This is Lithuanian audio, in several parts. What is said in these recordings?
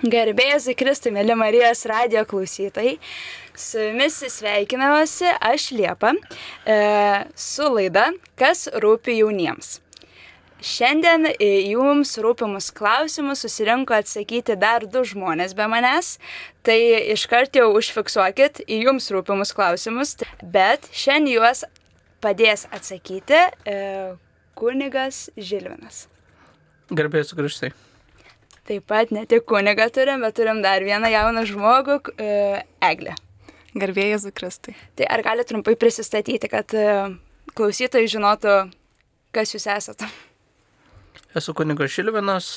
Garbėjas Kristui, mėly Marijos radijo klausytojai, su jumis sveikinamasi aš Liepa su laida Kas rūpi jauniems. Šiandien jums rūpimus klausimus susirinko atsakyti dar 2 žmonės be manęs, tai iškart jau užfiksuokit į jums rūpimus klausimus, bet šiandien juos padės atsakyti kunigas Žilvinas. Garbėjas Kristui. Taip pat ne tik kunigą turim, bet turim dar vieną jauną žmogų, Eglę. Garbėjas Kristui. Tai ar gali trumpai prisistatyti, kad klausytojai žinotų, kas jūs esate? Esu kunigas Žilvinas,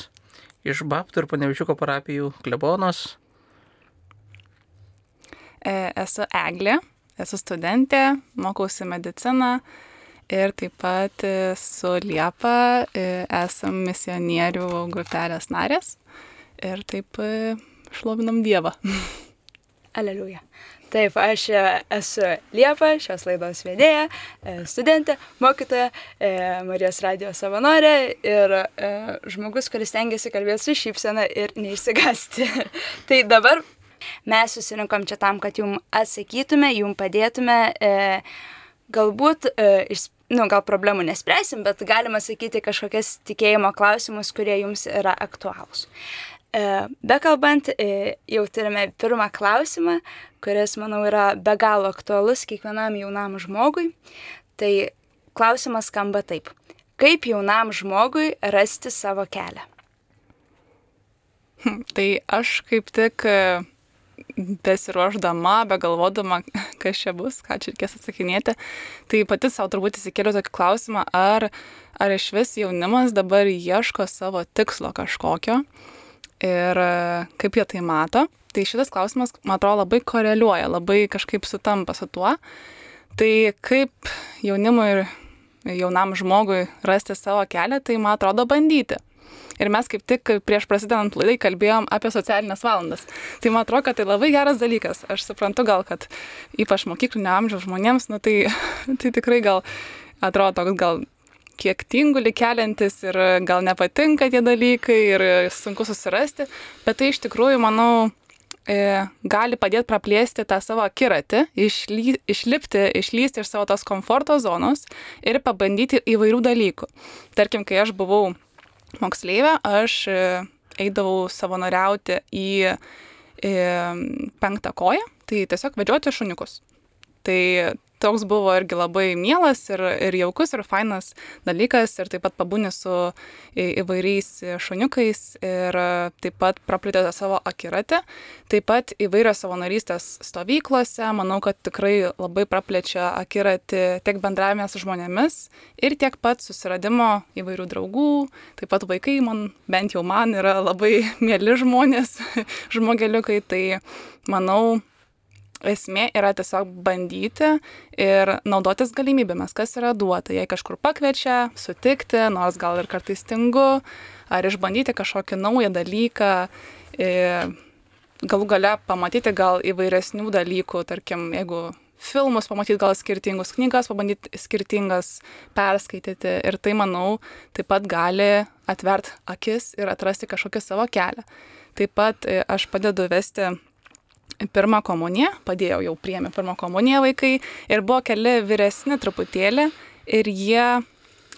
iš Baptų ir Panevičiuko parapijų klebonas. Esu Eglė, esu studentė, mokausi mediciną ir taip pat su Liepa esam misionierių grupelės narės ir taip šlovinam Dievą. Aleliuja. Taip, aš esu Liepa, šios laidos vedėja, studentė, mokytoja, Marijos radijo savanorė ir žmogus, kuris stengiasi kalbėti su šypsena ir neišsigąsti. Tai dabar mes susirinkom čia tam, kad jum atsakytume, jum padėtume, galbūt gal problemų nespręsim, bet galima sakyti kažkokias tikėjimo klausimus, kurie jums yra aktualūs. Bekalbant, jau turime pirmą klausimą, kuris, manau, yra be galo aktualus kiekvienam jaunam žmogui. Tai klausimas skamba taip. Kaip jaunam žmogui rasti savo kelią? Tai aš kaip tik besiruošdama, begalvodama, kas čia bus, ką čia reikės atsakinėti, tai pati savo turbūt įsikėliau tokį klausimą, ar iš vis jaunimas dabar ieško savo tikslo kažkokio ir kaip jie tai mato. Tai šitas klausimas, man atrodo, labai koreliuoja, labai kažkaip sutampa su tuo. Tai kaip jaunimui ir jaunam žmogui rasti savo kelią, tai man atrodo bandyti. Ir mes kaip tik prieš prasidedant laidai kalbėjom apie socialinės valandas. Tai man atrodo, kad tai labai geras dalykas. Aš suprantu gal, kad ypač mokyklinio amžiaus žmonėms, tai tikrai gal atrodo toks gal kiek tingulį keliantis ir gal nepatinka tie dalykai ir sunku susirasti. Bet tai iš tikrųjų, manau, gali padėti praplėsti tą savo akiratį, išlįsti iš savo tos komforto zonos ir pabandyti įvairių dalykų. Tarkim, kai aš buvau moksleivė, aš eidavau savanoriauti į 5 koją, tai tiesiog vedžioti šuniukus. Tai toks buvo irgi labai mielas ir jaukus ir fainas dalykas ir taip pat pabūni su įvairiais šuniukais ir taip pat praplėtė savo akiratį. Taip pat įvairios savanorystės stovyklose, manau, kad tikrai labai praplečia akiratį tiek bendravime su žmonėmis ir tiek pat susiradimo įvairių draugų. Taip pat vaikai, bent jau man, yra labai mieli žmonės, žmogeliukai, tai manau, esmė yra tiesiog bandyti ir naudotis galimybėmis, kas yra duota. Jei kažkur pakviečia, sutikti, nors gal ir kartais tingu, ar išbandyti kažkokį naują dalyką, galų gale pamatyti gal įvairesnių dalykų, tarkim, jeigu filmus pamatyti gal skirtingus, knygas pabandyti skirtingas perskaityti ir tai, manau, taip pat gali atvert akis ir atrasti kažkokį savo kelią. Taip pat aš padedu vesti pirmą komuniją, padėjau jau priėmė pirmą komuniją vaikai ir buvo keli vyresni truputėlį ir jie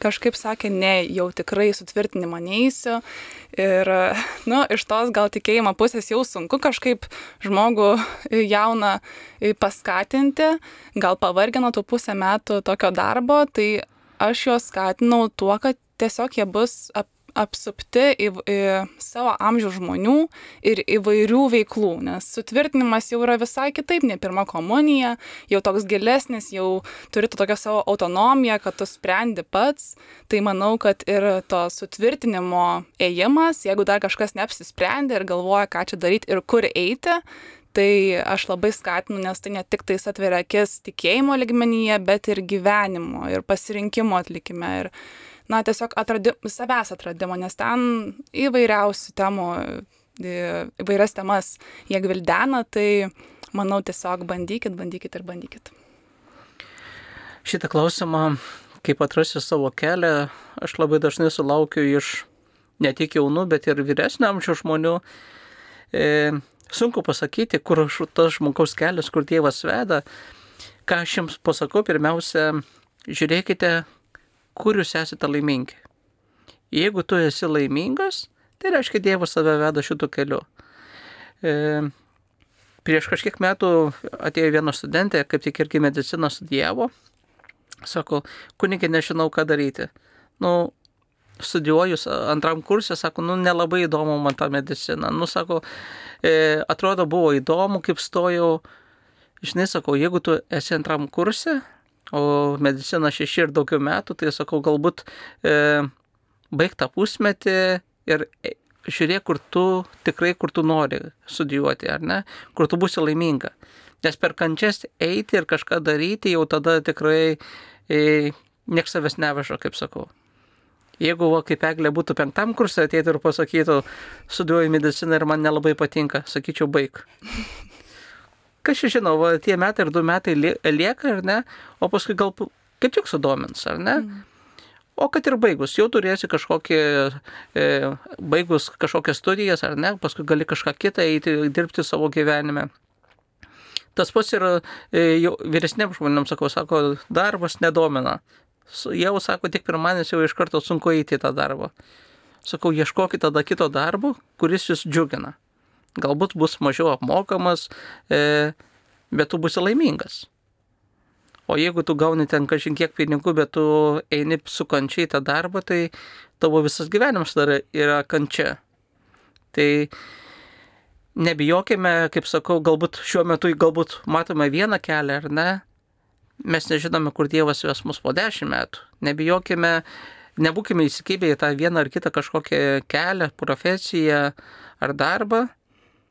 kažkaip sakė, ne, jau tikrai sutvirtinimą neįsiu ir, iš tos gal tikėjimo pusės jau sunku kažkaip žmogų jauną paskatinti, gal pavargino tų 1,5 metų tokio darbo, tai aš juos skatinau tuo, kad tiesiog jie bus apsupti savo amžiaus žmonių ir įvairių veiklų, nes sutvirtinimas jau yra visai kitaip nei pirma komunija, jau toks gilesnis, jau turi tokią savo autonomiją, kad tu sprendi pats, tai manau, kad ir to sutvirtinimo ėjimas, jeigu dar kažkas neapsisprendė ir galvoja, ką čia daryti ir kur eiti, tai aš labai skatinu, nes tai ne tik tais atveria akis tikėjimo lygmenyje, bet ir gyvenimo ir pasirinkimo atlikime ir tiesiog savęs atradimo, nes ten įvairiausių temų, įvairias temas jie gvildena, tai manau tiesiog bandykit. Šitą klausimą, kaip atrasti savo kelią, aš labai dažnai sulaukiu iš ne tik jaunų, bet ir vyresnio amžiaus žmonių. sunku pasakyti, kur tas žmogaus kelias, kur Dievas veda. Ką aš jums pasakau, pirmiausia, žiūrėkite, kur jūs esate laimingi. Jeigu tu esi laimingas, tai reiškia Dievas tave veda šitų keliu. Prieš kažkiek metų atėjo viena studentė, kaip tik irgi mediciną studijavo. Sako, kunigė, nežinau, ką daryti. Studijuoju antram kursė, sako, nelabai įdomu man ta medicina. Sako, atrodo, buvo įdomu, kaip stojau. Žinai, sakau, jeigu tu esi antram kursė, o medicina 6 ir daugiau metų, tai sakau, galbūt baig tą pusmetį ir žiūrėk, kur tu nori studijuoti, ar ne, kur tu būsi laiminga. Nes per kančias eiti ir kažką daryti, jau tada tikrai nieks savęs neveža, kaip sakau. Jeigu, kaip Eglė būtų 5 kursė, ateitų ir pasakytų, studijuoju mediciną ir man nelabai patinka, sakyčiau, baig. Kas čia žinau, tie metai ir 2 metai lieka, ar ne, o paskui gal kaip tik sudomins, ar ne? O kad ir baigus, jau turėsi baigus kažkokias studijas, ar ne, paskui gali kažką kitą eiti, dirbti savo gyvenime. Tas pats ir vyresniems žmonėms, sako, darbas nedomina. Jau, sako, tik pirmadienis jau iš karto sunku eiti į tą darbą. Sakau, ieškokit tada kito darbo, kuris jūs džiugina. Galbūt bus mažiau apmokamas, bet tu būsi laimingas. O jeigu tu gauni ten kažin kiek pinigų, bet tu eini su kančia į tą darbą, tai tavo visas gyvenimas dar yra kančia. Tai nebijokime, kaip sakau, galbūt šiuo metu matome vieną kelią, ar ne? Mes nežinome, kur Dievas ves mus po 10 metų. Nebijokime, nebūkime įsikibę į tą vieną ar kitą kažkokią kelią, profesiją ar darbą,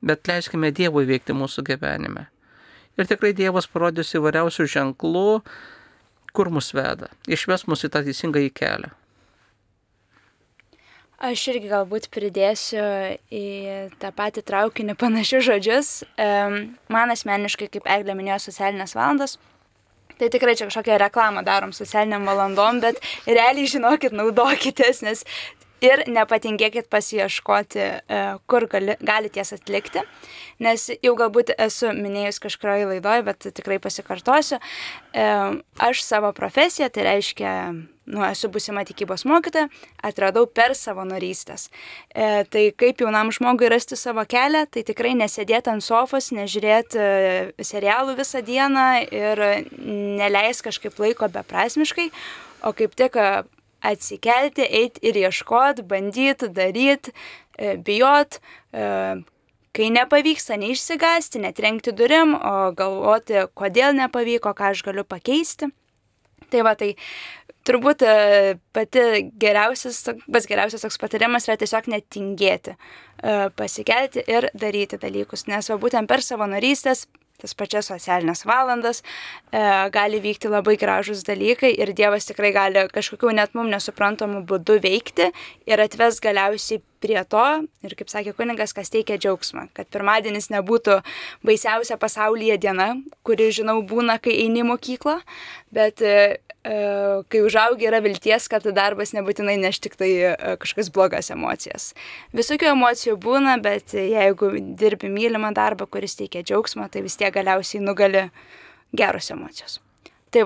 bet leiskime Dievui veikti mūsų gyvenime. Ir tikrai Dievas parodys įvairiausių ženklų, kur mus veda. Išves mus į tą teisingąjį kelią. Aš irgi galbūt pridėsiu į tą patį traukinį panašius žodžius. Man asmeniškai, kaip Eglė minėjo, socialinės valandos. Tai tikrai čia kažkokią reklamą darom socialiniam valandom, bet realiai žinokit, naudokitės, nes ir nepatingėkit pasiieškoti, kur galite jas atlikti, nes jau galbūt esu minėjus kažkurioje laidoje, bet tikrai pasikartosiu. Aš savo profesiją, tai reiškia, esu būsima tikybos mokytoja, atradau per savanorystės. Tai kaip jaunam žmogui rasti savo kelią, tai tikrai nesėdėti ant sofos, nežiūrėti serialų visą dieną ir neleis kažkaip laiko beprasmiškai, o kaip tik atsikelti, eiti ir ieškoti, bandyti, daryti, bijot, kai nepavyksta, neišsigąsti, netrenkti durim, o galvoti, kodėl nepavyko, ką aš galiu pakeisti. Tai turbūt pats geriausias toks patarimas yra tiesiog netingėti, pasikelti ir daryti dalykus, nes būtent per savanorystės, tas pačias socialinės valandas, gali vykti labai gražus dalykai ir Dievas tikrai gali kažkokių net mums nesuprantamų būdų veikti ir atves galiausiai prie to, ir kaip sakė kunigas, kas teikia džiaugsmą, kad pirmadienis nebūtų baisiausia pasaulyje diena, kuri, žinau, būna, kai eini į mokyklą, bet kai užaugi yra vilties, kad darbas nebūtinai neš tik tai kažkokias blogas emocijas. Visokių emocijų būna, bet jeigu dirbi mylimą darbą, kuris teikia džiaugsmą, tai vis tiek galiausiai nugali geros emocijos. Tai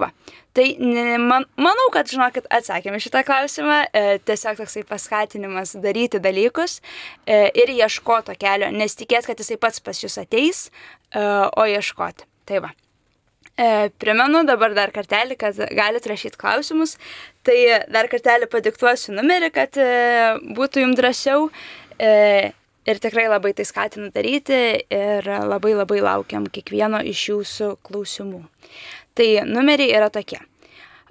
manau, kad, žinokit, atsakėme šitą klausimą, tiesiog toksai paskatinimas daryti dalykus ir ieškoti kelio, nes tikėt, kad jisai pats pas jūs ateis, o ieškoti. Primenu dabar dar kartelį, kad galite rašyti klausimus, tai dar kartelį padiktuosiu numerį, kad būtų jums drąsiau ir tikrai labai tai skatinu daryti ir labai laukiam kiekvieno iš jūsų klausimų. Tai numeriai yra tokie: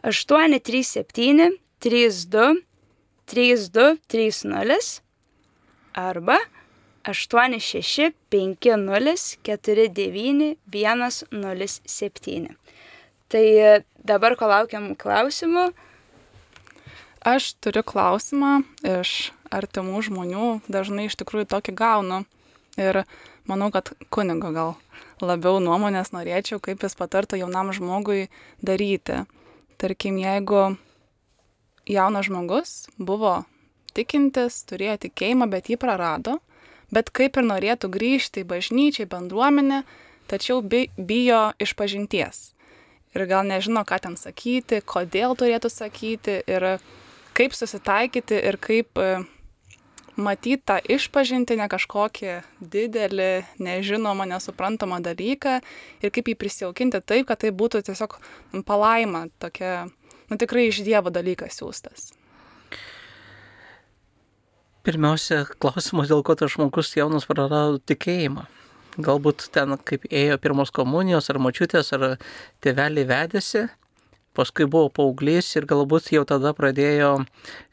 837 32 32 30 arba 86 50 49 107. Tai dabar, ko laukiam klausimų. Aš turiu klausimą iš artimų žmonių, dažnai iš tikrųjų tokį gaunu. Ir manau, kad kunigo gal labiau nuomonės norėčiau, kaip jis patartų jaunam žmogui daryti. Tarkim, jeigu jaunas žmogus buvo tikintis, turėjo tikėjimą, bet jį prarado, bet kaip ir norėtų grįžti į bažnyčią, į bendruomenę, tačiau bijo išpažinties. Ir gal nežino, ką ten sakyti, kodėl turėtų sakyti ir kaip susitaikyti ir kaip matyti tą išpažinti ne kažkokį didelį, nežinomą, nesuprantamą dalyką ir kaip jį prisijaukinti taip, kad tai būtų tiesiog palaima, tokia, tikrai iš Dievo dalykas siūstas. Pirmiausia, klausimas, dėl ko tas žmogus jaunas prarado tikėjimą. Galbūt ten, kaip ėjo pirmos komunijos, ar močiutės, ar tėveliai vedėsi, paskui buvo paauglys ir galbūt jau tada pradėjo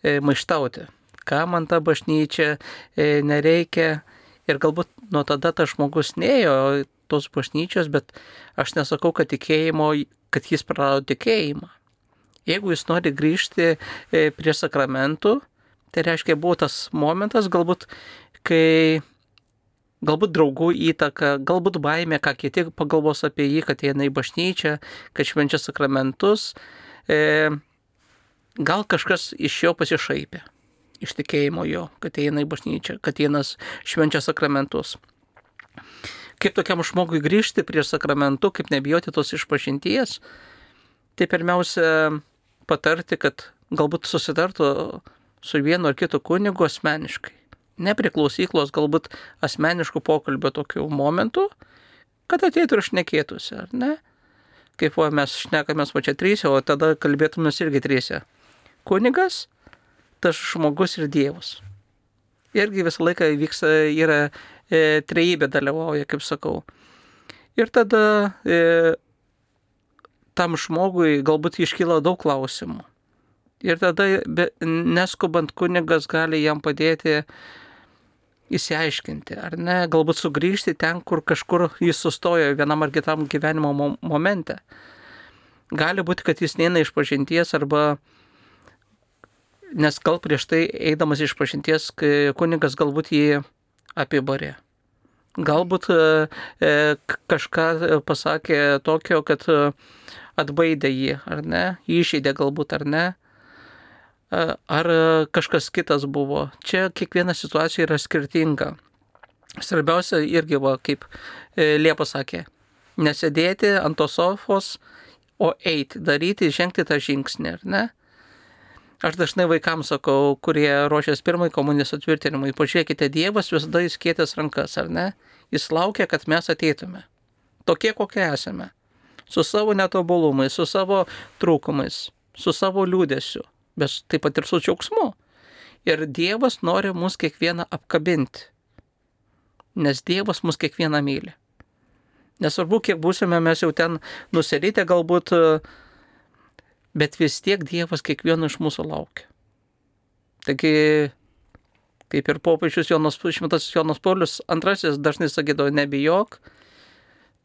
maištauti. Ką man ta bažnyčia nereikia. Ir galbūt nuo tada tas žmogus neėjo tos bažnyčios, bet aš nesakau, kad jis prarado tikėjimą. Jeigu jis nori grįžti prie sakramentų, tai reiškia buvo tas momentas, galbūt draugų įtaka, galbūt baimė, ką kiti pagalvos apie jį, kad eina į bažnyčią, kad švenčia sakramentus. Gal kažkas iš jo pasišaipė, iš tikėjimo jo, kad eina į bažnyčią, kad eina švenčia sakramentus. Kaip tokiam žmogui grįžti prie sakramentų, kaip nebijoti tos išpažinties, tai pirmiausia patarti, kad galbūt susitartų su vienu ar kitu kunigu asmeniškai. Ne prie klausyklos, galbūt asmeniškų pokalbio tokių momentų, kad ateitų ir šnekėtųsi, ar ne? Kaip mes šnekamės čia trysia, o tada kalbėtumės irgi trysia. Kunigas, tas žmogus ir Dievas. Irgi visą laiką yra trejybė dalyvauja, kaip sakau. Ir tada tam žmogui galbūt iškyla daug klausimų. Ir tada neskubant kunigas gali jam padėti įsiaiškinti, ar ne, galbūt sugrįžti ten, kur kažkur jis sustojo vienam ar kitam gyvenimo momente. Gali būti, kad jis neina išpažinties arba, nes gal prieš tai eidamas išpažinties kunigas galbūt jį apibarė. Galbūt kažką pasakė tokio, kad atbaidė jį, ar ne, įžeidė galbūt, ar ne. Ar kažkas kitas buvo. Čia kiekviena situacija yra skirtinga. Svarbiausia irgi, kaip Liepa sakė, nesėdėti ant tos sofos, o eiti, daryti, žengti tą žingsnį, ar ne? Aš dažnai vaikams sakau, kurie ruošiasi pirmai komunijos atvirtinimui, pažiūrėkite, Dievas visada įskėtęs rankas, ar ne? Jis laukia, kad mes ateitume. Tokie, kokie esame. Su savo netobulumais, su savo trūkumais, su savo liūdesiu. Bet taip pat ir su džiaugsmu. Ir Dievas nori mus kiekvieną apkabinti. Nes Dievas mus kiekvieną myli. Nesvarbu, kiek būsime mes jau ten nusiritę galbūt, bet vis tiek Dievas kiekvieno iš mūsų laukia. Taigi, kaip ir popiežius šventasis Jonas Paulius II dažnai sakydavo, nebijok,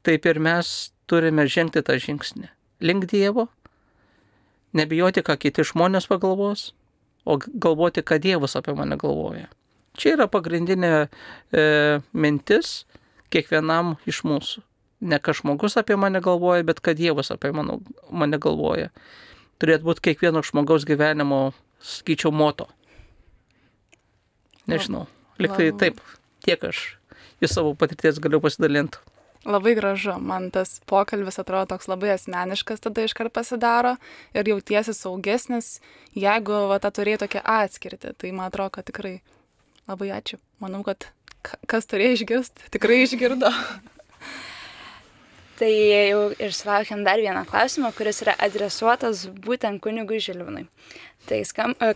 taip ir mes turime žengti tą žingsnį link Dievo. Nebijoti, ką kiti žmonės pagalvos, o galvoti, ką Dievas apie mane galvoja. Čia yra pagrindinė mintis kiekvienam iš mūsų. Ne ką žmogus apie mane galvoja, bet ką Dievas apie mane galvoja. Turėtų būti kiekvieno žmogaus gyvenimo, sakyčiau, moto. Nežinau, liktai taip, tiek aš iš savo patirties galiu pasidalinti. Labai gražu, man tas pokalbis atrodo toks labai asmeniškas, tada iškart pasidaro ir jautiesi saugesnis, jeigu tą turėjai tokią atskirtį. Tai man atrodo, kad tikrai labai ačiū. Manau, kad kas turėjo išgirsti, tikrai išgirdo. Tai jau ir sulaukėm dar vieną klausimą, kuris yra adresuotas būtent kunigui Žilvinui. Tai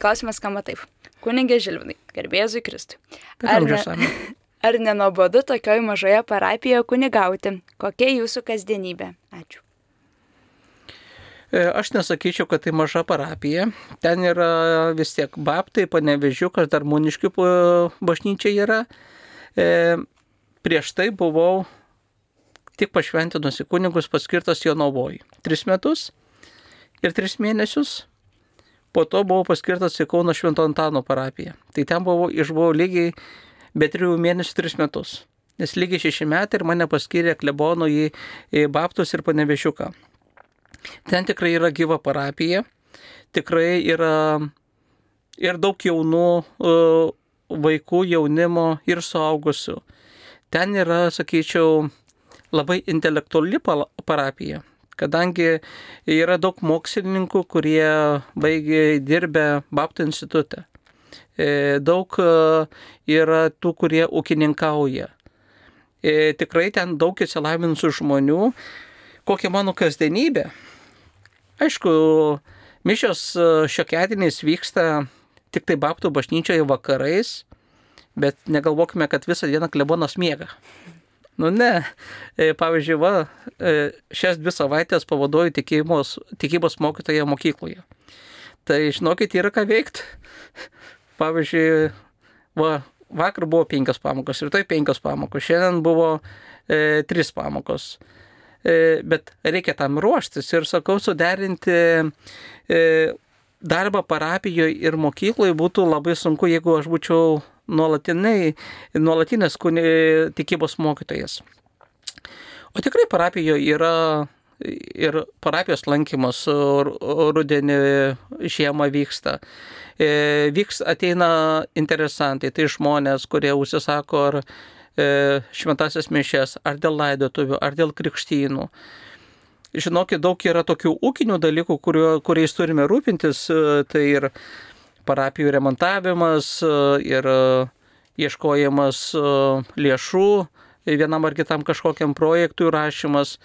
klausimas skamba taip. Kunigė Žilvinai, garbėzui Kristui. Ar nenuobodu tokioj mažoje parapijoje kunigauti? Kokia jūsų kasdienybė? Ačiū. Aš nesakyčiau, kad tai maža parapija. Ten yra vis tiek Baptai, Panevėžiukas, dar Muniškių bažnyčia yra. Prieš tai buvau tik pašventinusi kunigus paskirtas Jonavoj. 3 metus ir 3 mėnesius. Po to buvau paskirtas į Kauno Švento Antano parapiją. Tai ten išbuvau lygiai be 3 mėnesių 3 metus. Nes lygiai 6 metai ir mane paskyrė klebonu į Baptus ir Panevėžiuką. Ten tikrai yra gyva parapija. Tikrai yra ir daug jaunų vaikų, jaunimo ir suaugusių. Ten yra, sakyčiau, labai intelektuali parapija, kadangi yra daug mokslininkų, kurie baigė dirbę Baptų institute. Daug yra tų, kurie ūkininkauja. Tikrai ten daug įsilavinusių žmonių. Kokia mano kasdienybė? Aišku, mišios šiokiadieniais vyksta tik tai Baptų bažnyčioje vakarais, bet negalvokime, kad visą dieną klebonas miega. Nu ne, pavyzdžiui, šias 2 savaitės pavaduoju tikybos mokytoje mokykloje. Tai žinokit, yra ką veikti. Pavyzdžiui, vakar buvo 5 pamokos, rytoj 5 pamokos, šiandien buvo 3 pamokos. Bet reikia tam ruoštis ir sakau, suderinti darbą parapijoje ir mokykloje būtų labai sunku, jeigu aš būčiau nuolatinės tikybos mokytojas. O tikrai parapijoje yra ir parapijos lankymas rudenį, žiemą vyksta. Ateina interesantai, tai žmonės, kurie užsisako ar šventasias mišias, ar dėl laidotuvių, ar dėl krikštynų. Žinokit, daug yra tokių ūkinių dalykų, kuriais turime rūpintis, tai ir parapijų remontavimas, ir ieškojimas lėšų vienam ar kitam kažkokiam projektui rašymas.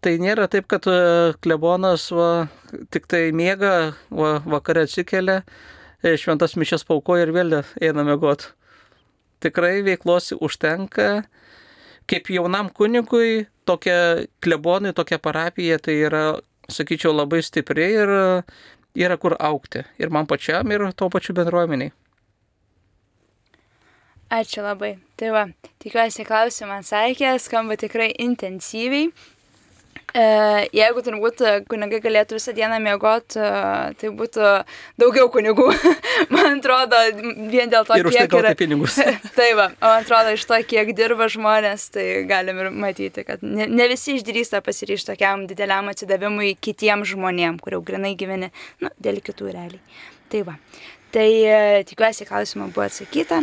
Tai nėra taip, kad klebonas tik tai miega, vakare atsikelia, šventas mišias paukoja ir vėl eina miegot. Tikrai veiklos užtenka. Kaip jaunam kunigui, tokia klebonai, tokia parapija, tai yra, sakyčiau, labai stipri ir yra kur augti. Ir man pačiam, ir to pačiu bendruomeniai. Ačiū labai. Tai va, tikiuosi klausimą atsakė, skamba tikrai intensyviai. Jeigu turbūt kunigai galėtų visą dieną miegoti, tai būtų daugiau kunigų. Man atrodo, vien dėl to, ir už tai kiek yra pinigus. Tai va, man atrodo, iš to, kiek dirba žmonės, tai galim ir matyti, kad ne visi išdrįsta pasiryžti tokiam dideliam atsidavimui kitiems žmonėm, kur jau grinai gyveni, dėl kitų realiai. Tai va, tai tikiuosi klausimą buvo atsakyta.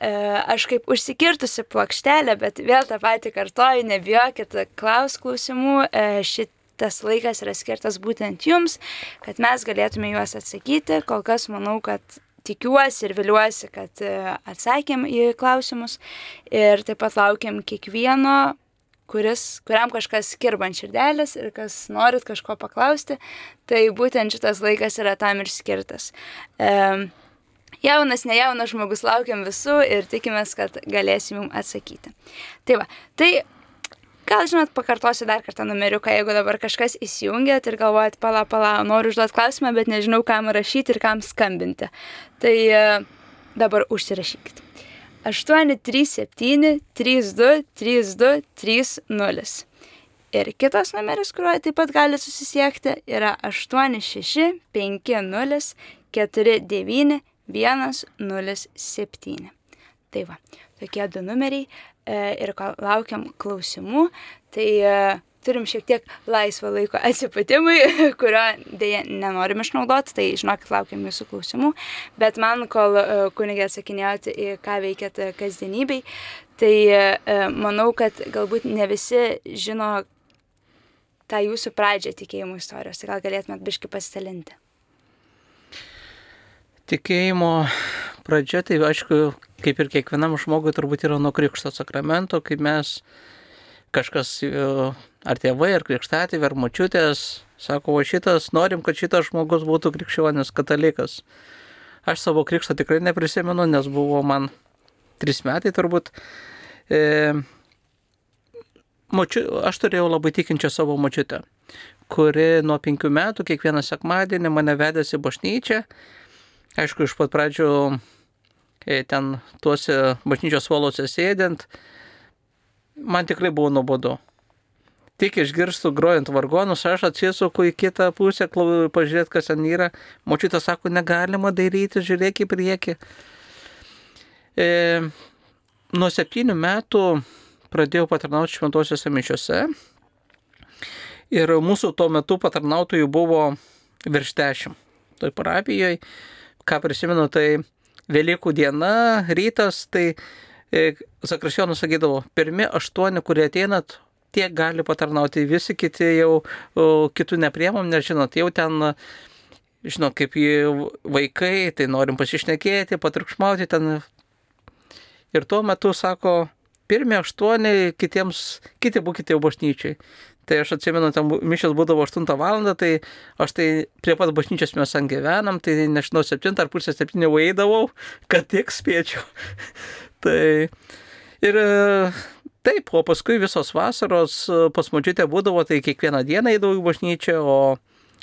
Aš kaip užsikirtusi plokštelę, bet vėl tą patį kartoju, nebijokit klausimų, šitas laikas yra skirtas būtent jums, kad mes galėtume juos atsakyti. Kol kas manau, kad tikiuosi ir viliuosi, kad atsakėm į klausimus ir taip pat laukiam kiekvieno, kuriam kažkas kirba ant širdelės ir kas norit kažko paklausti, tai būtent šitas laikas yra tam ir skirtas. Jaunas, nejaunas žmogus, laukiam visų ir tikimės, kad galėsim jums atsakyti. Tai va, tai gal žinot, pakartosiu dar kartą numeriuką, jeigu dabar kažkas įsijungėt ir galvojat, pala, noriu užduoti klausimą, bet nežinau, kam rašyti ir kam skambinti. Tai dabar užsirašykit. 837 32 32 30. Ir kitas numeris, kuriuo taip pat gali susisiekti, yra 86 50 49 107. Tai va, tokie 2 numeriai ir laukiam klausimų, tai turim šiek tiek laisvo laiko atsipatimui, kurio dėja nenorim išnaudoti, tai žinokit, laukiam jūsų klausimų, bet man, kol kunigė atsakinėjot į ką veikiat kasdienybei, tai manau, kad galbūt ne visi žino tą jūsų pradžią tikėjimo istorijos, tai gal galėtumėt biškį pasidalinti. Tikėjimo pradžia, tai aišku, kaip ir kiekvienam žmogui turbūt yra nuo krikšto sakramento, kaip mes kažkas, ar tėvai, ar krikštatėviai, ar močiutės, sako, norim, kad šitas žmogus būtų krikščionis, katalikas. Aš savo krikštą tikrai neprisimenu, nes buvo man 3 metai turbūt. Aš turėjau labai tikinčią savo močiutę, kuri nuo 5 metų kiekvieną sekmadienį mane vedėsi į bažnyčią. Aišku, iš pat pradžių ten tuose bažnyčios suoluose sėdint, man tikrai buvo nuobodu. Tik išgirstu grojant vargonus, aš atsisuku į kitą pusę, pažiūrėti, kas ten yra. Močiutė sako, negalima daryti, žiūrėk į priekį. Nuo 7 metų pradėjau patarnauti šventosiuose mišiuose. Ir mūsų tuo metu patarnautojų buvo virš 10. Toj parapijoje, ką prisimenu, tai Velykų diena, rytas, tai Zakristijonas sakydavo, pirmi 8, kurie ateinat, tiek gali patarnauti, visi kiti jau kitų nepriemam, nes žinot, jau ten, žinot, kaip vaikai, tai norim pasišnekėti, patriukšmauti ten. Ir tuo metu sako, pirmi 8, kiti būkite jau bažnyčiai. Tai aš atsimenu, ten mišios būdavo 8 valandą, tai aš tai prie pat bažnyčios mes ant gyvenam, tai nežinau, 7 ar pusę 7 jau eidavau, kad tiek spėčiau. Tai ir taip, o paskui visos vasaros pas močiutę būdavo, tai kiekvieną dieną eidavau į bažnyčią, o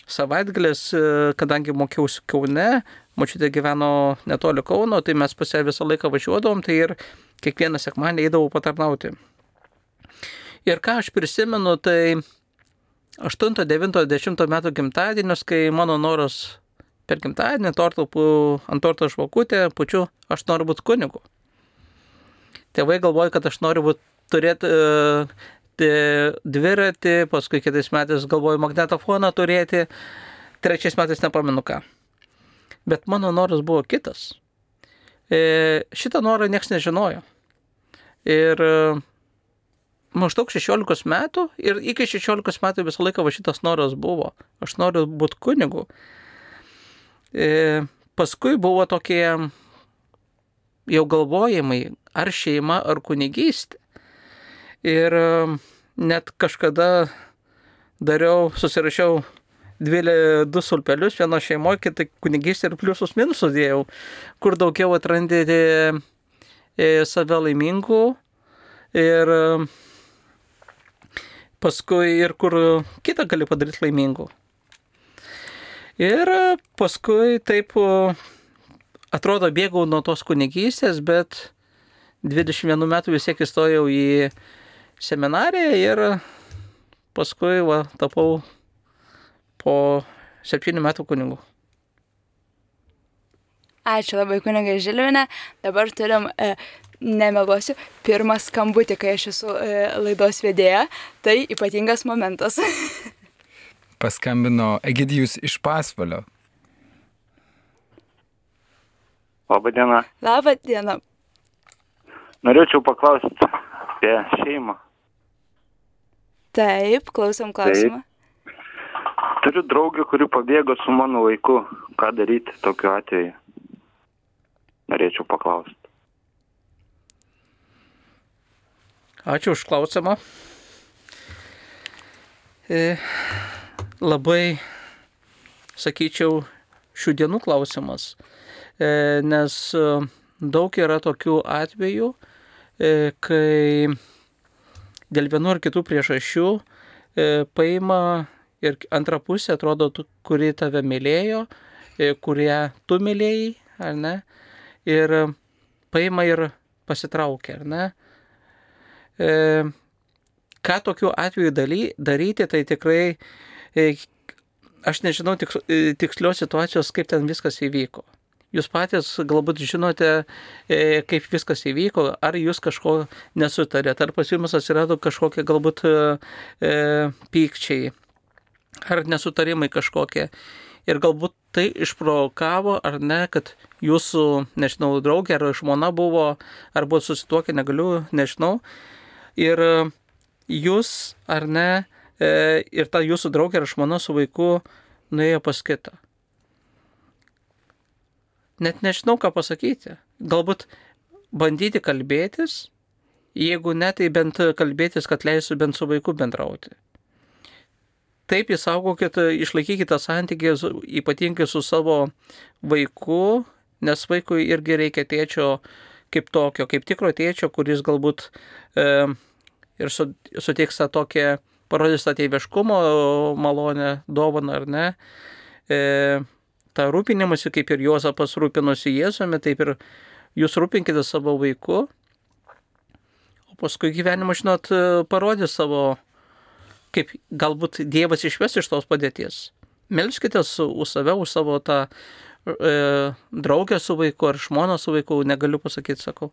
savaitgalis, kadangi mokiausi Kaune, močiutė gyveno netoli Kauno, tai mes pas ją visą laiką važiuodavom, tai ir kiekvieną sekmadienį eidavau patarnauti. Ir ką aš prisimenu, tai 8, 9, 10 metų gimtadienius, kai mano noras per gimtadienį ant torto žvakutę pučiu, aš noriu būti kunigu. Tėvai galvoja, kad aš noriu turėti dviratį, paskui kitais metais galvoju magnetofoną turėti, 3 metais nepamenu ką. Bet mano noras buvo kitas. Šitą norą nieks nežinojo. Ir maždaug 16 metų ir iki 16 metų visą laiką šitas noras buvo. Aš noriu būti kunigu. Paskui buvo tokie jau galvojimai, ar šeima, ar kunigystė. Ir net kažkada susirašiau 2 sulpelius, vieno šeimoje, kitą kunigystę ir pliusus minusus dėjau, kur daugiau atrandėte save laimingų ir paskui ir kur kitą gali padaryti laimingų. Ir paskui taip atrodo bėgau nuo tos kunigystės, bet 21 metų vis tiek įstojau į seminariją ir paskui tapau po 7 metų kunigu. Ačiū labai kunigai Žilvinė. Dabar turim, nemeluosiu, pirmą skambutį, kai aš esu laidos vedėja. Tai ypatingas momentas. Paskambino Egidijus iš Pasvalio. Labą dieną. Labą dieną. Norėčiau paklausti apie šeimą. Taip, klausom klausimą. Turiu draugę, kuri pabėgo su mano vaiku. Ką daryti tokiu atveju? Norėčiau paklausti. Ačiū už klausimą. Labai, sakyčiau, šių dienų klausimas, nes daug yra tokių atvejų, kai dėl vienų ar kitų priežasčių paima ir antra pusė, atrodo, kuri tave mylėjo, kurie tu mylėjai, ar ne, ir paima ir pasitraukia, ar ne. Ką tokiu atveju daryti, tai tikrai, aš nežinau tikslios situacijos, kaip ten viskas įvyko. Jūs patys galbūt žinote, kaip viskas įvyko, ar jūs kažko nesutarėte, ar pas jumis atsirado kažkokie galbūt pykčiai, ar nesutarimai kažkokie. Ir galbūt tai išprovokavo, ar ne, kad jūsų, nežinau, draugė ar žmona buvo, ar buvo susituokę, negaliu, nežinau. Ir jūs, ar ne, ir ta jūsų draugė ar žmona su vaiku nuėjo pas kitą. Net nežinau, ką pasakyti. Galbūt bandyti kalbėtis, jeigu ne, tai bent kalbėtis, kad leisiu bent su vaiku bendrauti. Taip išsaugokite, išlaikykite santykį ypatingai su savo vaiku, nes vaikui irgi reikia tėčio kaip tokio, kaip tikro tėčio, kuris galbūt ir suteiks tą tokią, parodys tą tėviškumo malonę, dovaną ar ne. Ta rūpinimasi, kaip ir Juozapas rūpinosi Jėzumi, taip ir jūs rūpinkite savo vaiku, o paskui gyvenimą, žinot, parodys savo, kaip galbūt Dievas išves iš tos padėties. Melskitės už save, už savo tą draugę su vaiku ar žmoną su vaiku, negaliu pasakyti, sakau.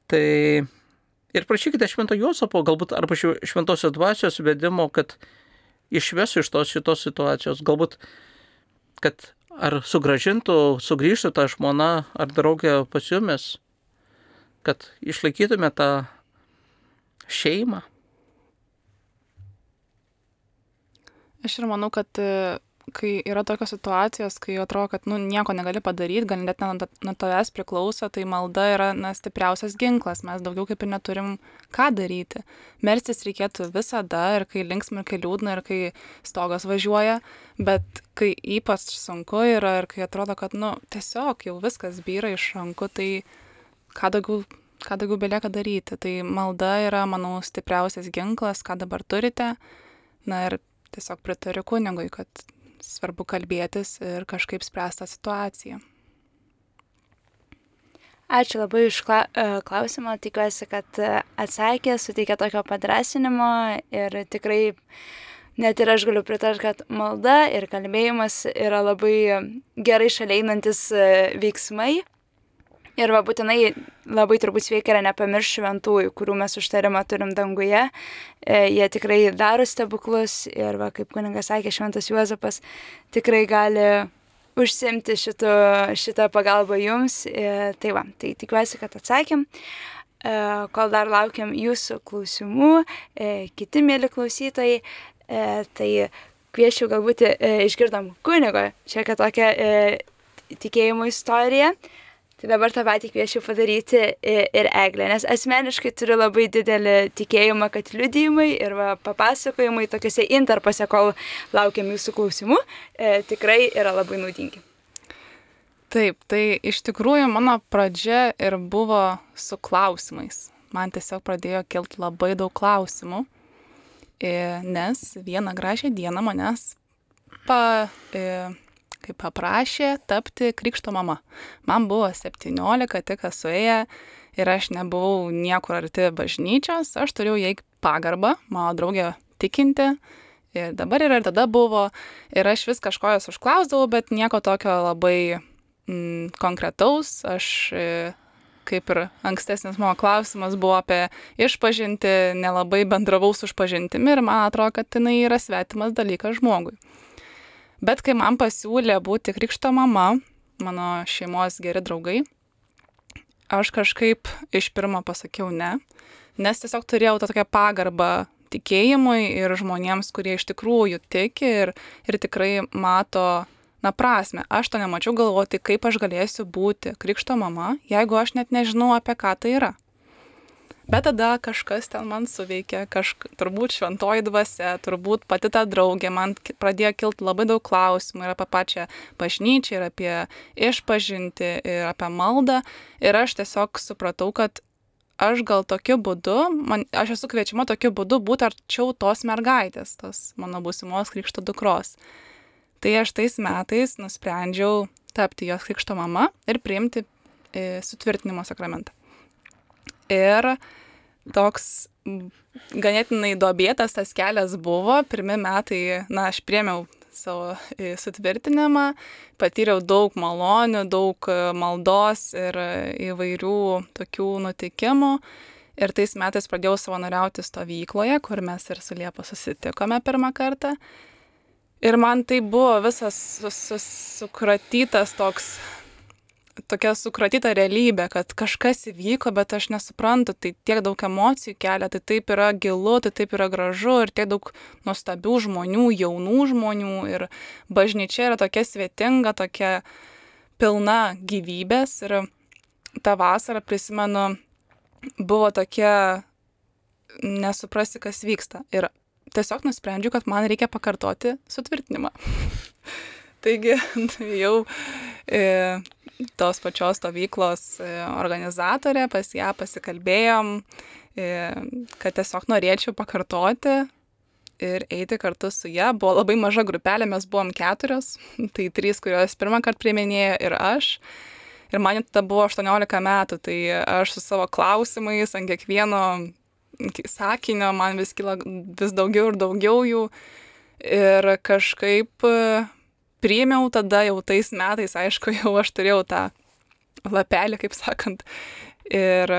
Tai ir prašykite Švento Juozapo, galbūt arba Šventosios dvasios vedimo, kad išvesiu iš šitos situacijos. Galbūt, kad ar sugrįžtų ta žmona ar draugė pas jumis, kad išlaikytume tą šeimą? Aš ir manau, kad kai yra tokios situacijos, kai atrodo, kad nieko negali padaryti, gal net nuo tavęs priklauso, tai malda yra stipriausias ginklas, mes daugiau kaip ir neturim ką daryti. Melstis reikėtų visada, ir kai linksma, ir kai liūdna, ir kai stogas važiuoja, bet kai ypač sunku yra ir kai atrodo, kad tiesiog jau viskas byra iš rankų, tai ką daugiau belieka daryti. Tai malda yra, manau, stipriausias ginklas, ką dabar turite. Ir tiesiog pritariu kunigui, kad svarbu kalbėtis ir kažkaip spręsti tą situaciją. Ačiū labai už klausimą, tikiuosi, kad atsakė, suteikė tokio padrąsinimo ir tikrai net ir aš galiu pritarti, kad malda ir kalbėjimas yra labai gerai šalia einantis veiksmai. Ir būtinai labai turbūt sveika yra nepamiršti šventųjų, kurių mes užtarimą turim danguje. Jie tikrai daro stebuklus ir kaip kunigas sakė, šventas Juozapas tikrai gali užsimti šitą pagalbą jums. Tai tikiuosi, kad atsakėm. Kol dar laukiam jūsų klausimų, kiti mėly klausytojai, tai kviečiu galbūt išgirdom kunigo čia tokią tikėjimo istoriją. Tai dabar tą patį kviečiu padaryti ir Eglę, nes asmeniškai turiu labai didelį tikėjimą, kad liudijimai ir papasakojimai tokiuose intarpose, kol laukiam jūsų klausimų, tikrai yra labai naudingi. Taip, tai iš tikrųjų mano pradžia ir buvo su klausimais. Man tiesiog pradėjo kilti labai daug klausimų, nes vieną gražią dieną manęs paprašė tapti krikšto mama. Man buvo 17, tik suėję ir aš nebuvau niekur arti bažnyčios, aš turėjau jai pagarbą, mano draugė tikinti ir dabar ir tada buvo ir aš vis kažko jos užklausdavau, bet nieko tokio labai konkretaus. Aš kaip ir ankstesnis mano klausimas buvo apie išpažintį, nelabai bendravau su išpažintimi ir man atrodo, kad jinai yra svetimas dalykas žmogui. Bet kai man pasiūlė būti krikšto mama, mano šeimos geri draugai, aš kažkaip iš pirmo pasakiau ne, nes tiesiog turėjau tą tokią pagarbą tikėjimui ir žmonėms, kurie iš tikrųjų tiki ir tikrai mato prasmę. Aš to nemačiau, galvoti, kaip aš galėsiu būti krikšto mama, jeigu aš net nežinau, apie ką tai yra. Bet tada kažkas ten man suveikė, turbūt šventoji dvasia, turbūt pati ta draugė, man pradėjo kilti labai daug klausimų ir apie pačią bažnyčią, ir apie išpažintį, ir apie maldą. Ir aš tiesiog supratau, kad aš gal tokiu būdu, aš esu kviečiama tokiu būdu būti arčiau tos mergaitės, tos mano būsimos krikšto dukros. Tai aš tais metais nusprendžiau tapti jos krikšto mama ir priimti sutvirtinimo sakramentą. Ir toks ganėtinai duobėtas tas kelias buvo. Pirmi metai, aš priėmiau savo sutvirtinimą, patyriau daug malonių, daug maldos ir įvairių tokių nutikimų. Ir tais metais pradėjau savanoriauti stovykloje, kur mes ir su Liepa susitikome pirmą kartą. Ir man tai buvo visas sukratytas tokia sukratyta realybė, kad kažkas įvyko, bet aš nesuprantu, tai tiek daug emocijų kelia, tai taip yra gilu, tai taip yra gražu ir tiek daug nuostabių žmonių, jaunų žmonių ir bažnyčia yra tokia svetinga, tokia pilna gyvybės ir tą vasarą, prisimenu, buvo tokia nesuprasti, kas vyksta ir tiesiog nusprendžiu, kad man reikia pakartoti sutvirtinimą. Taigi jau tos pačios stovyklos organizatorė, pas ją pasikalbėjom, kad tiesiog norėčiau pakartoti ir eiti kartu su ją. Buvo labai maža grupelė, mes buvom 4, tai 3, kurios pirmą kartą priiminėjo ir aš. Ir man tada buvo 18 metų, tai aš su savo klausimais ant kiekvieno sakinio man vis kyla vis daugiau ir daugiau jų. Ir kažkaip priėmiau tada jau tais metais, aišku, jau aš turėjau tą lapelį, kaip sakant, ir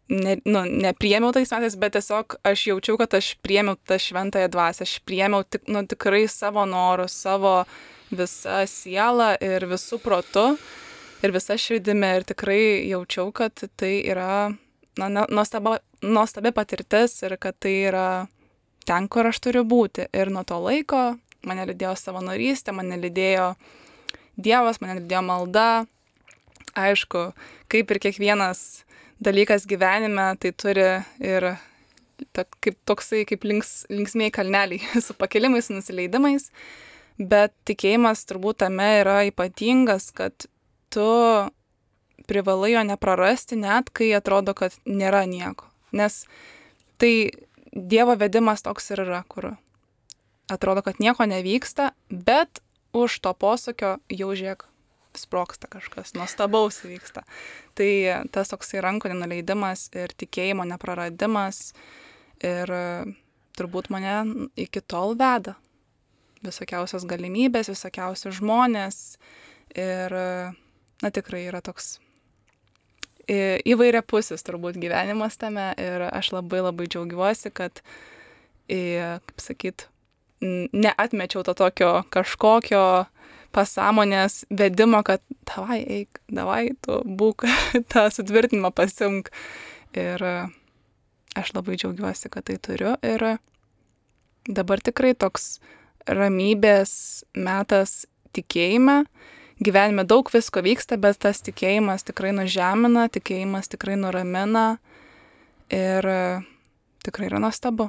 nepriėmiau tais metais, bet tiesiog aš jaučiau, kad aš priėmiau tą šventąją dvasią, aš priėmiau tikrai savo norus, savo visa siela ir visų protu ir visa širdimi ir tikrai jaučiau, kad tai yra nuostabi patirtis ir kad tai yra ten, kur aš turiu būti. Ir nuo to laiko mane lydėjo savanorystė, mane lydėjo Dievas, mane lydėjo malda. Aišku, kaip ir kiekvienas dalykas gyvenime, tai turi ir kaip linksmieji kalneliai su pakilimais, su nusileidimais. Bet tikėjimas turbūt tame yra ypatingas, kad tu privalai jo neprarasti, net kai atrodo, kad nėra nieko. Nes tai Dievo vedimas toks ir yra, kur atrodo, kad nieko nevyksta, bet už to posūkio jau žiūrėk, sproksta kažkas, nuostabaus vyksta. Tai tas toksai rankų nenuleidimas ir tikėjimo nepraradimas ir turbūt mane iki tol veda. Visokiausios galimybės, visokiausi žmonės ir, tikrai yra toks įvairiapusis turbūt gyvenimas tame ir aš labai labai džiaugiuosi, kad, kaip sakyt, neatmečiau to tokio kažkokio pasąmonės vedimo, kad davai eik, davai tu būk, tą sutvirtinimą pasimk. Ir aš labai džiaugiuosi, kad tai turiu ir dabar tikrai toks ramybės metas tikėjime. Gyvenime daug visko vyksta, bet tas tikėjimas tikrai nužemina, tikėjimas tikrai nuramina ir tikrai yra nuostabu.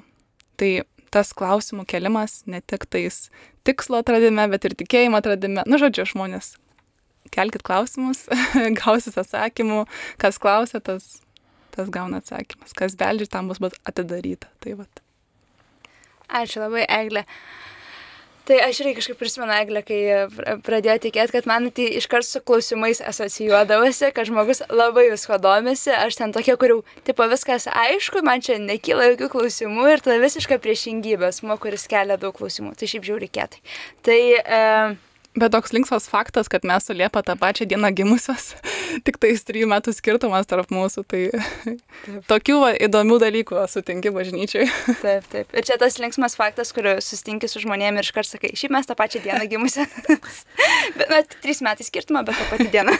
Tai tas klausimų kelimas ne tik tais tikslo atradime, bet ir tikėjimo atradime. Žodžiu, žmonės, kelkit klausimus, gausit atsakymų, kas klausia, tas gauna atsakymas, kas beldžia, tam bus atidaryta. Tai vat. Ačiū labai, Eglė. Tai aš irgi kažkaip prisimenu, Eglė, kai pradėjo tikėti, kad man tai iškart su klausimais asocijuodavosi, kad žmogus labai visko domisi, aš ten tokia, kur jau tipo viskas aišku, man čia nekyla jokių klausimų ir tada visiška priešingybė, asmuo, kuris kelia daug klausimų. Tai šiaip žiauriai kietai. Tai Bet toks linksmas faktas, kad mes su Liepa tą pačią dieną gimusios, tik tais 3 metų skirtumas tarp mūsų, tai tokių įdomių dalykų sutinki bažnyčiai. Taip. Ir čia tas linksmas faktas, kur susitinki su žmonėmis ir iškart sakai, šiaip mes tą pačią dieną gimusios. 3 metai skirtumą, bet tą patį dieną.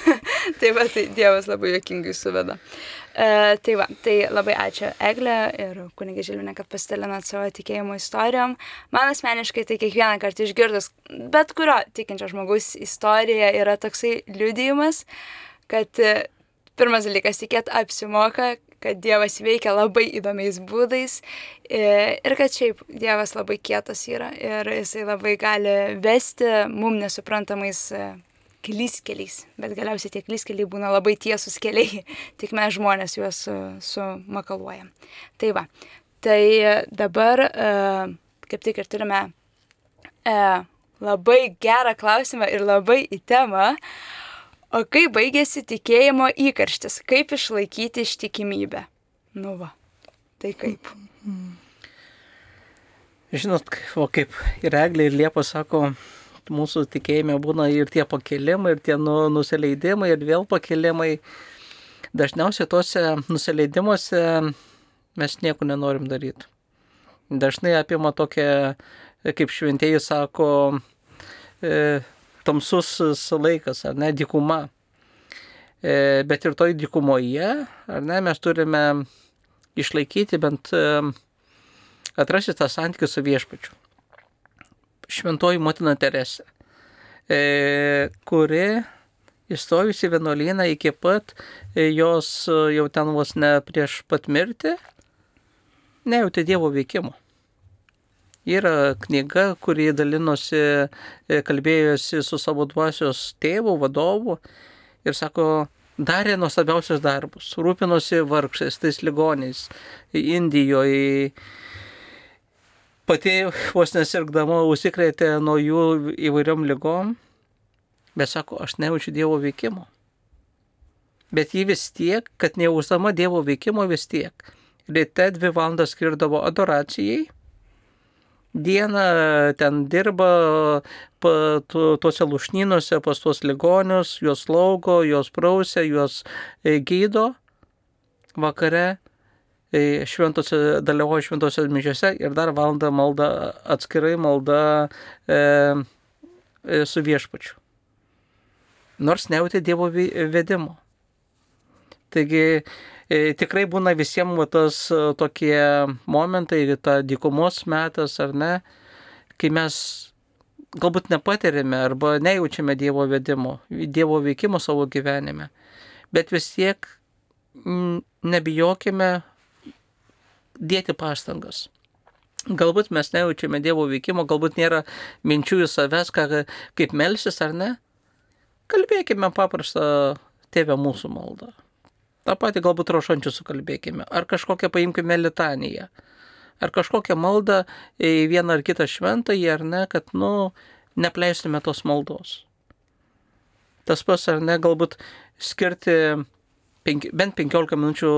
Tai Dievas labai juokingai suveda. Tai labai ačiū Eglė ir kunigė Žilvinė, kad pasidalinat savo tikėjimo istorijom. Man asmeniškai tai kiekvieną kartą išgirdus bet kurio tikinčio žmogaus istorija yra toksai liudijimas, kad pirmas dalykas tikėt apsimoka, kad Dievas veikia labai įdomiais būdais ir kad šiaip Dievas labai kietas yra ir jisai labai gali vesti mum nesuprantamais keliais, bet galiausiai tie keliai būna labai tiesus keliai, tik mes žmonės juos sumakaluojam. Tai dabar kaip tik ir turime labai gerą klausimą ir labai į temą, o kaip baigėsi tikėjimo įkarštis, kaip išlaikyti ištikimybę? Tai kaip? Žinot, kaip ir Eglė, ir Liepa sako, mūsų tikėjime būna ir tie pakelimai, ir tie nusileidimai, ir vėl pakelimai. Dažniausiai tuose nusileidimuose mes nieko nenorim daryti. Dažnai apima tokia, kaip šventieji sako, tamsus laikas, ar ne, dykuma. Bet ir toj dykumoje, ar ne, mes turime išlaikyti bent atrasti tą santykį su viešpačiu. Šventoji motina Teresė, kuri įstojusi vienuolyną iki pat jos jau ten vos ne prieš pat mirtį, nejautė Dievo veikimo. Yra knyga, kuri dalinosi, kalbėjosi su savo dvasios tėvu, vadovu ir sako, darė nuostabiausius darbus, rūpinosi vargšais, tais ligoniais Indijoje. Pati vos nesirgdama užsikrėtė nuo jų įvairiom ligom, bet sako, aš nejaučiu Dievo veikimo. Bet ji vis tiek, kad nejausdama Dievo veikimo vis tiek, ryte 2 valandas skirdavo adoracijai, dieną ten dirba tuose lūšnynuose pas tuos ligonius, juos slaugo, juos prausia, juos gydo, vakare dalyvauja šventose mišiose ir dar valandą malda, atskirai malda su viešpačiu. Nors nejautė Dievo vedimo. Taigi tikrai būna visiems tas tokie momentai, ta dykumos metas ar ne, kai mes galbūt nepatiriame arba nejaučiame Dievo vedimo, Dievo veikimo savo gyvenime. Bet vis tiek nebijokime dėti pastangas. Galbūt mes nejaučiame Dievo veikimo, galbūt nėra minčių į savęs, kaip melsis ar ne. Kalbėkime paprastą Tėve mūsų maldą. Ta pati galbūt rožančių sukalbėkime. Ar kažkokią paimkime litaniją. Ar kažkokią maldą į vieną ar kitą šventąjį, ar ne, kad, nepleistume tos maldos. Tas pas, ar ne, galbūt skirti bent 15 minučių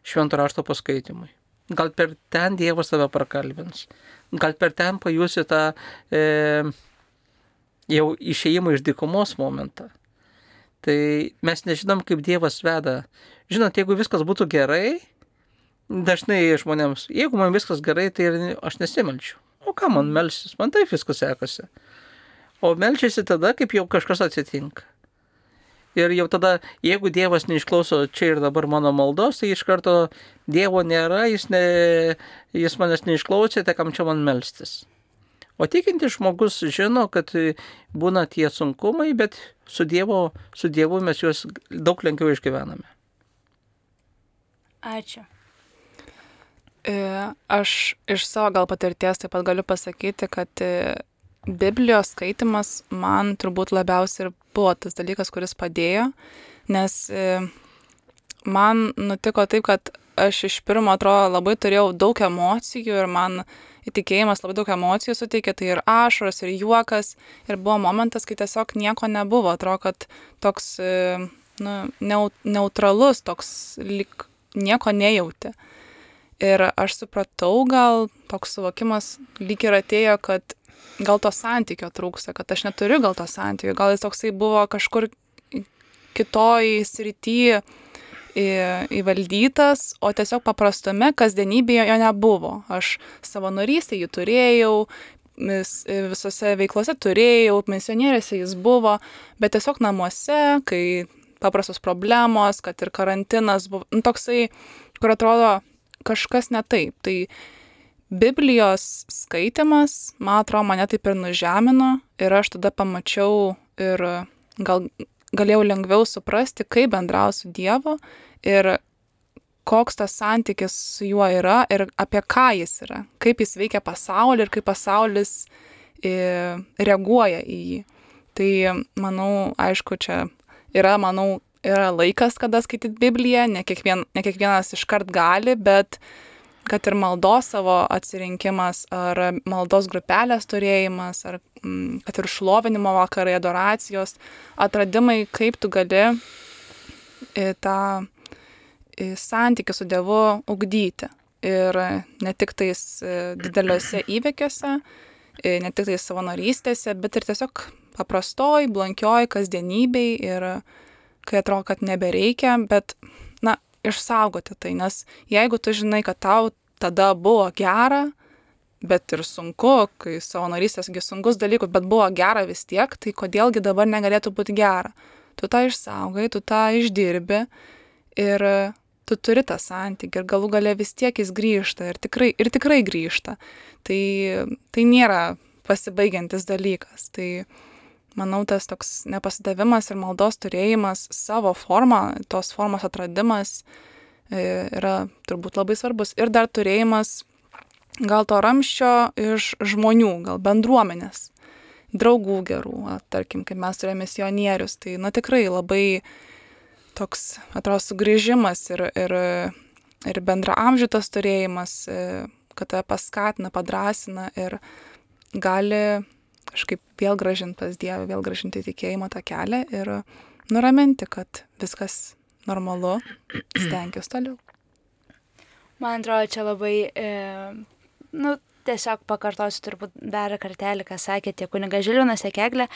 švento rašto paskaitimui. Gal per ten Dievas tave prakalbins. Gal per ten pajusi tą jau išėjimą iš dykumos momentą. Tai mes nežinom, kaip Dievas veda. Žinot, jeigu viskas būtų gerai, dažnai žmonėms, jeigu man viskas gerai, tai aš nesimelčiu. O ką man melsis? Man taip viskas sekasi. O melčiasi tada, kaip jau kažkas atsitinka. Ir jau tada, jeigu Dievas neišklauso čia ir dabar mano maldos, tai iš karto Dievo nėra, jis manęs neišklausė, tai kam čia man melstis. O tikintis žmogus žino, kad būna tie sunkumai, bet su Dievu mes juos daug lengviau išgyvename. Ačiū. Aš iš savo gal patirties taip pat galiu pasakyti, kad Biblijos skaitimas man turbūt labiausiai ir buvo tas dalykas, kuris padėjo, nes man nutiko taip, kad aš iš pirmo atrodo labai turėjau daug emocijų ir man įtikėjimas labai daug emocijų suteikė, tai ir ašaros, ir juokas, ir buvo momentas, kai tiesiog nieko nebuvo, atrodo, kad toks neutralus, toks lyg nieko nejauti. Ir aš supratau, gal toks suvokimas lyg ir atėjo, kad gal to santykio trūksta, kad aš neturiu gal to santykio, gal jis toksai buvo kažkur kitoj srity įvaldytas, o tiesiog paprastume kasdienybėje jo nebuvo. Aš savanorystėje jį turėjau, visose veiklose turėjau, misionierėse jis buvo, bet tiesiog namuose, kai paprastos problemos, kad ir karantinas buvo, toksai, kur atrodo kažkas ne taip. Tai Biblijos skaitimas, man atrodo, mane taip ir nužemino ir aš tada pamačiau ir galėjau lengviau suprasti, kaip bendrauti su Dievu ir koks tas santykis su juo yra ir apie ką jis yra, kaip jis veikia pasaulį ir kaip pasaulis reaguoja į jį. Tai, manau, aišku, čia yra laikas, kada skaityti Bibliją, ne kiekvienas iškart gali, bet kad ir maldos savo atsirinkimas, ar maldos grupelės turėjimas, ar kad ir šlovinimo vakarai, adoracijos, atradimai, kaip tu gali tą santykį su Dievu ugdyti. Ir ne tik tais dideliuose įvykiuose, ne tik tais savanorystėse, bet ir tiesiog paprastoj, blankioj kasdienybėj ir kai atrodo, kad nebereikia, bet išsaugoti tai, nes jeigu tu žinai, kad tau tada buvo gera, bet ir sunku, kai savanorystėsgi sunkus dalykus, bet buvo gera vis tiek, tai kodėlgi dabar negalėtų būti gera. Tu tą išsaugai, tu tą išdirbi ir tu turi tą santykį ir galų gale vis tiek jis grįžta ir tikrai grįžta. Tai nėra pasibaigiantis dalykas. Tai manau, tas toks nepasidavimas ir maldos turėjimas savo formą, tos formos atradimas yra turbūt labai svarbus. Ir dar turėjimas gal to ramsčio iš žmonių, gal bendruomenės, draugų gerų, tarkim, kaip mes turėjome misionierius. Tai tikrai labai toks, atrodo, sugrįžimas ir bendraamžitas turėjimas, kad tave paskatina, padrąsina ir gali kažkaip vėl grąžinti pas Dievą, vėl grąžinti tikėjimo tą kelią ir nuraminti, kad viskas normalu, stenkis toliau. Man atrodo, čia labai, tiesiog pakartosiu turbūt dar kartelį, ką sakė tiek kunigas Žilvinas, tiek Eglė.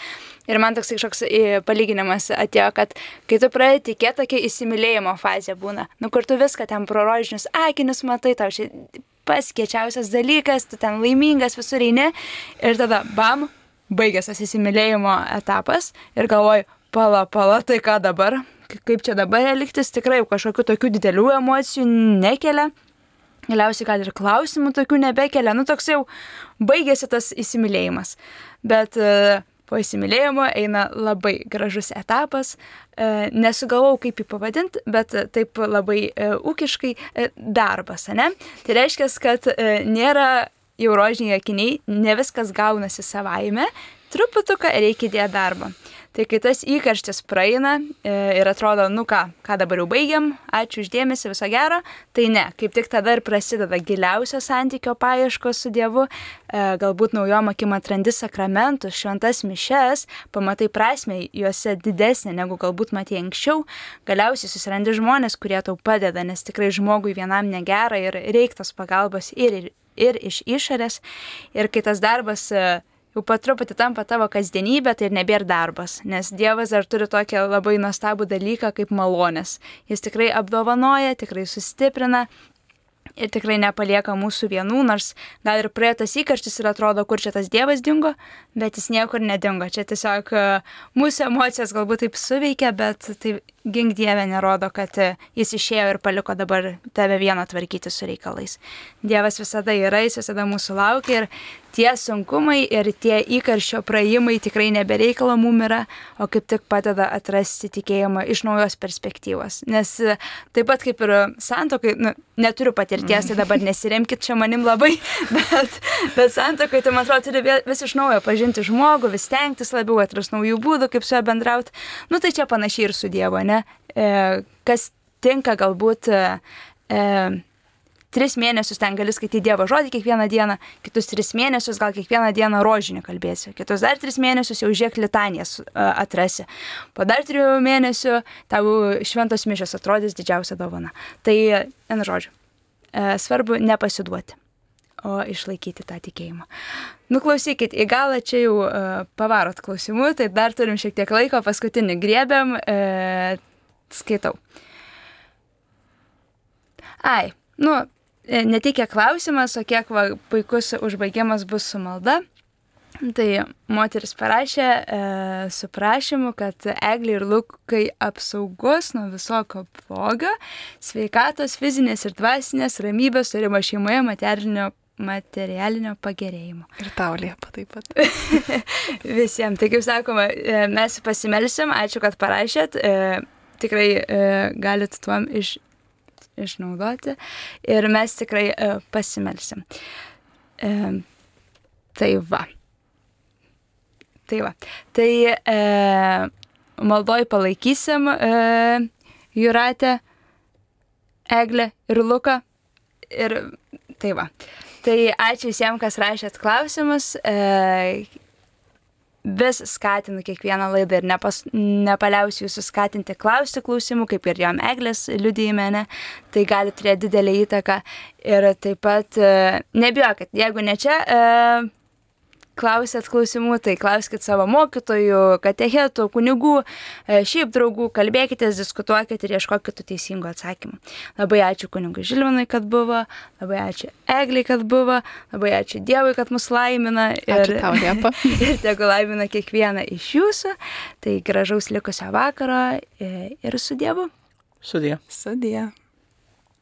Ir man toks kažkoks palyginimas atėjo, kad kai tu pradedi tikėti, tokia įsimylėjimo fazė būna. Kur tu viską ten pro rožinius akinius matai, tau čia pats kiečiausias dalykas, tu ten laimingas visur eini ir tada bam, baigęs tas įsimylėjimo etapas ir galvoju, pala, tai ką dabar, kaip čia dabar elgtis, tikrai kažkokių tokių didelių emocijų nekelia. Galiausiai gal ir klausimų tokių nebekelia, toks jau baigėsi tas įsimylėjimas. Bet po įsimylėjimo eina labai gražus etapas, nesugalvojau kaip jį pavadinti, bet taip labai ūkiškai darbas, ne? Tai reiškia, kad nėra jau rožiniai akiniai, ne viskas gaunasi savaime, truputuką reikia dėti darbą. Tai kai tas įkarštis praeina ir atrodo, ką dabar jau baigiam, ačiū uždėmesi, viso gero, tai ne, kaip tik tada ir prasideda giliausio santykio paieškos su Dievu, galbūt naujom akim atrandi sakramentus, šventas mišes, pamatai prasmę juose didesnė, negu galbūt matei anksčiau, galiausiai susirandi žmonės, kurie tau padeda, nes tikrai žmogui vienam negera ir reiktos pagalbos ir iš išorės, ir kai tas darbas jau patruputį tampa tavo kasdienybė, tai ir nebėra darbas, nes Dievas dar turi tokią labai nuostabų dalyką kaip malonės. Jis tikrai apdovanoja, tikrai sustiprina ir tikrai nepalieka mūsų vienų, nors gal ir praėjo tas įkarštis ir atrodo, kur čia tas Dievas dingo, bet jis niekur nedingo. Čia tiesiog mūsų emocijos galbūt taip suveikia, bet tai gink Dieve nerodo, kad jis išėjo ir paliko dabar tave vieną tvarkyti su reikalais. Dievas visada yra, jis visada mūsų laukia ir tie sunkumai ir tie įkarščio praėjimai tikrai nebereikalo mum yra, o kaip tik padeda atrasti tikėjimą iš naujos perspektyvos. Nes taip pat kaip ir santuokai, neturiu patirties, tai dabar nesiremkit čia manim labai, bet santuokai, tai man atrodo, turi vis iš naujo pažinti žmogų, vis stengtis labiau, atrasti naujų būdų, kaip su juo bendrauti. Tai čia panašiai ir su Dievu, ne? Kas tinka galbūt 3 mėnesius ten gali skaityti Dievo žodį kiekvieną dieną, kitus 3 mėnesius gal kiekvieną dieną rožinį kalbėsi, kitus dar 3 mėnesius jau žiūrėk litanijas atrasi. Po dar 3 mėnesių tau šventos mišios atrodys didžiausia dovana. Tai, žodžiu, svarbu nepasiduoti, o išlaikyti tą tikėjimą. Klausykit, į galą čia jau pavarot klausimų, tai dar turim šiek tiek laiko, paskutinį griebiam, skaitau. Ne tik kiek klausimas, o kiek puikus užbaigimas bus su malda. Tai moteris parašė su prašymu, kad Eglei ir Lukai apsaugos nuo visokio blogio, sveikatos, fizinės ir dvasinės, ramybės, turimo šeimoje, materialinio pagerėjimo. Ir tau Liepa taip pat. Visiems. Tai kaip sakoma, mes pasimelsim, ačiū, kad parašėt. Tikrai galit tuom išnaudoti ir mes tikrai pasimelsim. Tai va. Tai maldoj palaikysim Jūratę, Eglę ir Luką. Ir tai va. Tai ačiū visiems, kas rašėt klausimus. Vis skatinu kiekvieną laidą ir nepaliausiu jūsų skatinti klausti klausimų, kaip ir jom Eglės liudijime, ne? Tai gali turėti didelį įtaką. Ir taip pat nebijokit, jeigu ne čia klausėt klausimų, tai klauskit savo mokytojų, katechetų, kunigų, šiaip draugų, kalbėkitės, diskutuokit ir ieškokit tų teisingų atsakymų. Labai ačiū kunigui Žilvinui, kad buvo, labai ačiū Eglei, kad buvo, labai ačiū Dievui, kad mus laimina. Ačiū tau, Liepa. Ir tegu laimina kiekvieną iš jūsų. Tai gražaus likusio vakaro ir su Dievu. Sudie. Sudie.